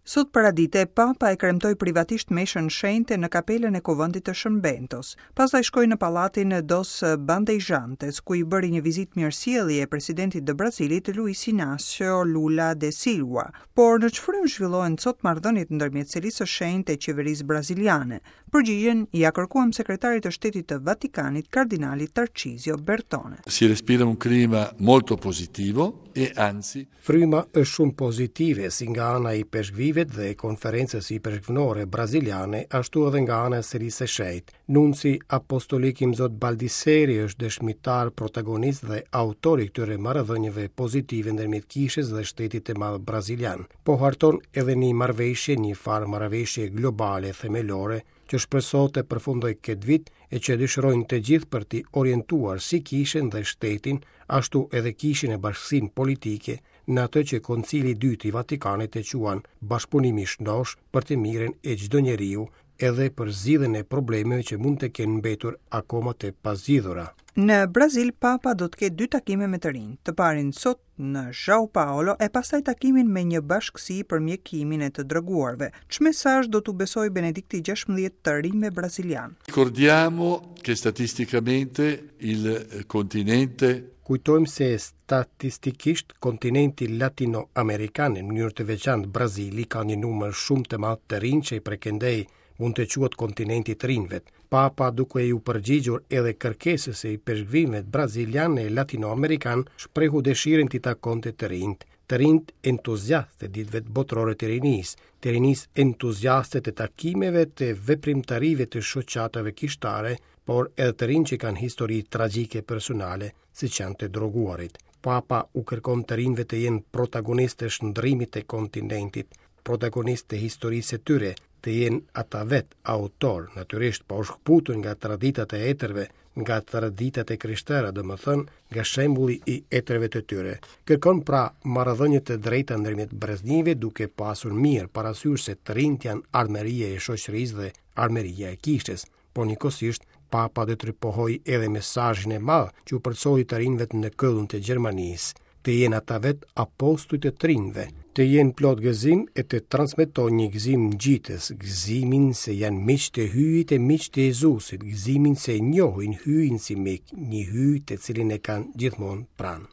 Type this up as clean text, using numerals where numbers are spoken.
Sot paradite, Papa e kremtoi privatisht meshën shenjte në kapelën e Kuvendit të Shën Bentos. Pastaj shkoi në pallatin Dos Bandeirantes, ku i bëri një vizitë mirësjellje presidentit të Brazilit, Luiz Inácio Lula da Silva. Por në ç'frymë zhvillohen sot marrëdhëniet ndërmjet Selisë së Shenjtë e qeverisë braziliane? Përgjigjen ia kërkuam sekretarit të Shtetit të Vatikanit, kardinalit Tarcizio Bertone. Si respira un clima molto positivo e anzi Fryma është shumë pozitive si nga ana e ipeshkvijve dhe Konferencës Ipeshkvnore Braziliane, ashtu edhe nga ana e Selisë së Shenjtë. Nunci Apostolik Imzot Baldisseri është dëshmitar, protagonist dhe autor i këtyre marrëdhënieve pozitive ndërmjet Kishës dhe shtetit të madh brazilian. Po harton edhe një marrëveshje, një farë marrëveshje globale themelore, që shpresohet të përfundojë këtë vit e që dëshirojnë të gjithë për t'i orientuar si kishën dhe shtetin, ashtu edhe kishën e bashkësinë politike në atë që Koncili i Dytë i Vatikanit e quan bashkëpunim i shëndoshë për të mirën e çdo njeriu, edhe për zgjidhjen e problemeve që mund të kenë mbetur akoma të pazgjidhura. Në Brazil, Papa do të ketë dy takime me të rinj, të parin sot në São Paulo e pastaj takimin me një bashkësi për mjekimin e të droguarve. Ç'mesazh do t'u besojë Benedikti 16 të rinjve brazilianë? Ricordiamo che statisticamente il continente Kujtojmë se statistikisht kontinenti latino-amerikan, në mënyrë të veçantë Brazili, ka një numër shumë të madh të rinj që prej këndej mund të quhet kontinenti i të rinjve. Papa duke iu përgjigjur edhe kërkesës së ipeshkvijve brazilianë e latinoamerikanë, shprehu dëshirën t'i takonte të rinjtë. Të rinjtë entuziastë të ditëve botërore të rinisë, të rinisë entuziaste të takimeve të veprimtarive të shoqatave kishtare, por edhe të rinj që kanë histori tragjike personale, siç janë të droguarit. Papa u kërkon të rinjve të jenë protagonistë të shndërrimit të kontinentit, protagonistë të historisë së tyre, të jenë ata vetë autorë, natyrisht pa u shkëputur nga traditat e etërve, nga traditat e krishtera, domethënë nga shembulli i etërve të tyre. Kërkon pra marrëdhënie të drejta ndërmjet breznive duke pasur mirë parasysh se të rinjtë janë ardhmëria e shoqërisë dhe ardhmëria e kishës, por njëkohësisht Papa do të ripohojë edhe mesazhin e madh që u përcolli të rinjve në Këln të Gjermanisë, të jenë ata vetë apostuj të të rinjve, të jenë plot gëzim e të transmetojnë një gëzim ngjitës, gëzimin se janë miq të Hyjit e miq të Jezusit, gëzimin se e njohin Hyjin si mik, një Hyj të cilin e kanë gjithmonë pranë.